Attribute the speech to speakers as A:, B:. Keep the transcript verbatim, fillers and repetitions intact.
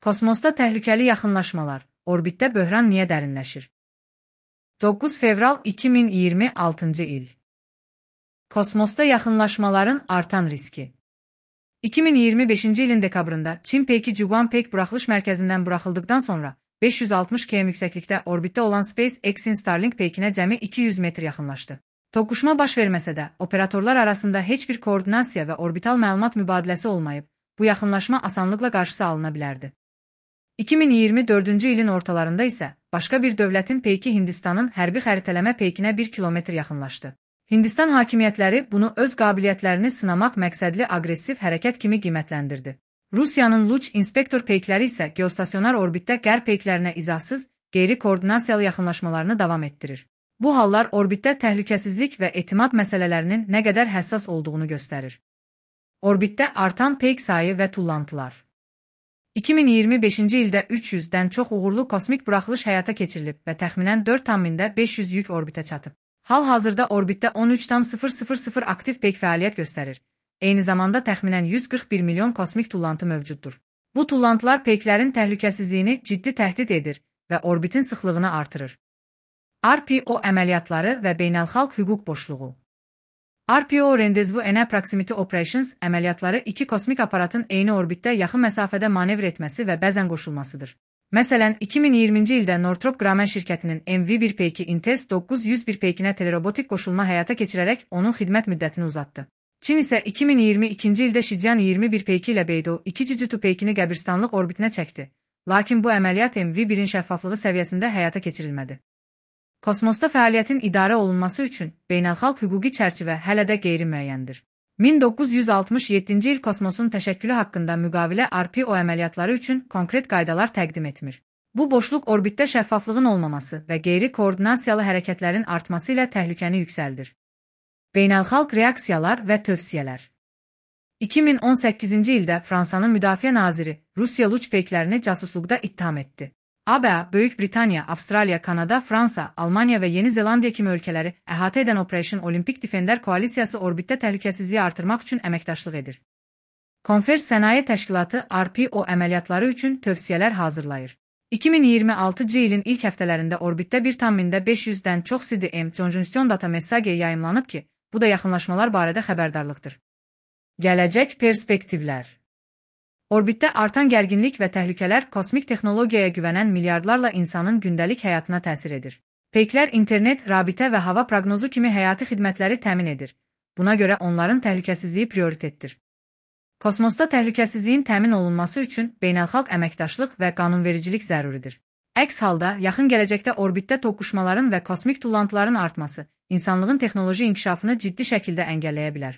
A: Kosmosda təhlükəli yaxınlaşmalar, orbitdə böhran niyə dərinləşir? doqquz fevral iki min iyirmi altıncı il. Kosmosda yaxınlaşmaların artan riski. iki min iyirmi beşinci ilin dekabrında Çin Peyki Juguan-Peyk buraxılış mərkəzindən buraxıldıqdan sonra beş yüz altmış kilometr yüksəklikdə orbitdə olan SpaceX-in Starlink Peykinə cəmi iki yüz metr yaxınlaşdı. Toqquşma baş verməsə də, operatorlar arasında heç bir koordinasiya və orbital məlumat mübadiləsi olmayıb, bu yaxınlaşma asanlıqla qarşısı alına bilərdi. iki min iyirmi dördüncü ilin ortalarında isə başqa bir dövlətin Peyki Hindistanın hərbi xəritələmə Peykinə bir kilometr yaxınlaşdı. Hindistan hakimiyyətləri bunu öz qabiliyyətlərini sınamaq məqsədli aqressiv hərəkət kimi qiymətləndirdi. Rusiyanın Luch inspektor peykləri isə geostasionar orbitdə qərb peyklərinə izahsız, qeyri-koordinasiyalı yaxınlaşmalarını davam etdirir. Bu hallar orbitdə təhlükəsizlik və etimad məsələlərinin nə qədər həssas olduğunu göstərir. Orbitdə artan peyk sayı və tullantılar. iki min iyirmi beşinci ildə üç yüzdən çox uğurlu kosmik buraxılış həyata keçirilib və təxminən dörd tam mində beş yüz yük orbitə çatıb. Hal-hazırda orbitdə on üç tam sıfır sıfır sıfır aktiv peyk fəaliyyət göstərir. Eyni zamanda təxminən yüz qırx bir milyon kosmik tullantı mövcuddur. Bu tullantılar peyklərin təhlükəsizliyini ciddi təhdid edir və orbitin sıxlığını artırır. R P O əməliyyatları və beynəlxalq hüquq boşluğu. R P O Rendezvous en Proximity Operations əməliyyatları iki kosmik aparatın eyni orbitdə yaxın məsafədə manevr etməsi və bəzən qoşulmasıdır. Məsələn, iki min iyirminci ildə Northrop Grumman şirkətinin M V bir Peyki Intes doqquz yüz bir Peykinə telerobotik qoşulma həyata keçirərək onun xidmət müddətini uzatdı. Çin isə iki min iyirmi ikinci ildə Shijian iyirmi bir Peyki ilə Beidou iki Jitu Peykini qəbirstanlıq orbitinə çəkdi. Lakin bu əməliyyat M V birin şəffaflığı səviyyəsində həyata keçirilmədi. Kosmosda fəaliyyətin idarə olunması üçün beynəlxalq hüquqi çərçivə hələ də qeyri-müəyyəndir. min doqquz yüz altmış yeddinci il kosmosun təşəkkülü haqqında müqavilə R P O əməliyyatları üçün konkret qaydalar təqdim etmir. Bu boşluq orbitdə şəffaflığın olmaması və qeyri-koordinasiyalı hərəkətlərin artması ilə təhlükəni yüksəldir. Beynəlxalq reaksiyalar və tövsiyələr. iki min on səkkizinci ildə Fransanın müdafiə naziri Rusiya Luch peyklərini casusluqda ittiham etdi. A B A, Böyük Britaniya, Avstraliya, Kanada, Fransa, Almaniya və Yeni Zelandiya kimi ölkələri əhatə edən Operation Olympic Defender koalisiyası orbitdə təhlükəsizliyi artırmaq üçün əməkdaşlıq edir. Konvers Sənaye Təşkilatı R P O əməliyyatları üçün tövsiyələr hazırlayır. iki min iyirmi altıncı ilin ilk həftələrində orbitdə bir tam mində beş yüzdən çox C D M Conjunction Data Message yayımlanıb ki, bu da yaxınlaşmalar barədə xəbərdarlıqdır. Gələcək perspektivlər. Orbitdə artan gərginlik və təhlükələr kosmik texnologiyaya güvənən milyardlarla insanın gündəlik həyatına təsir edir. Peyklər internet, rabitə və hava proqnozu kimi həyati xidmətləri təmin edir. Buna görə onların təhlükəsizliyi prioritetdir. Kosmosda təhlükəsizliyin təmin olunması üçün beynəlxalq əməkdaşlıq və qanunvericilik zəruridir. Əks halda, yaxın gələcəkdə orbitdə toqquşmaların və kosmik tullantıların artması insanlığın texnoloji inkişafını ciddi şəkildə əngəlləyə bilər.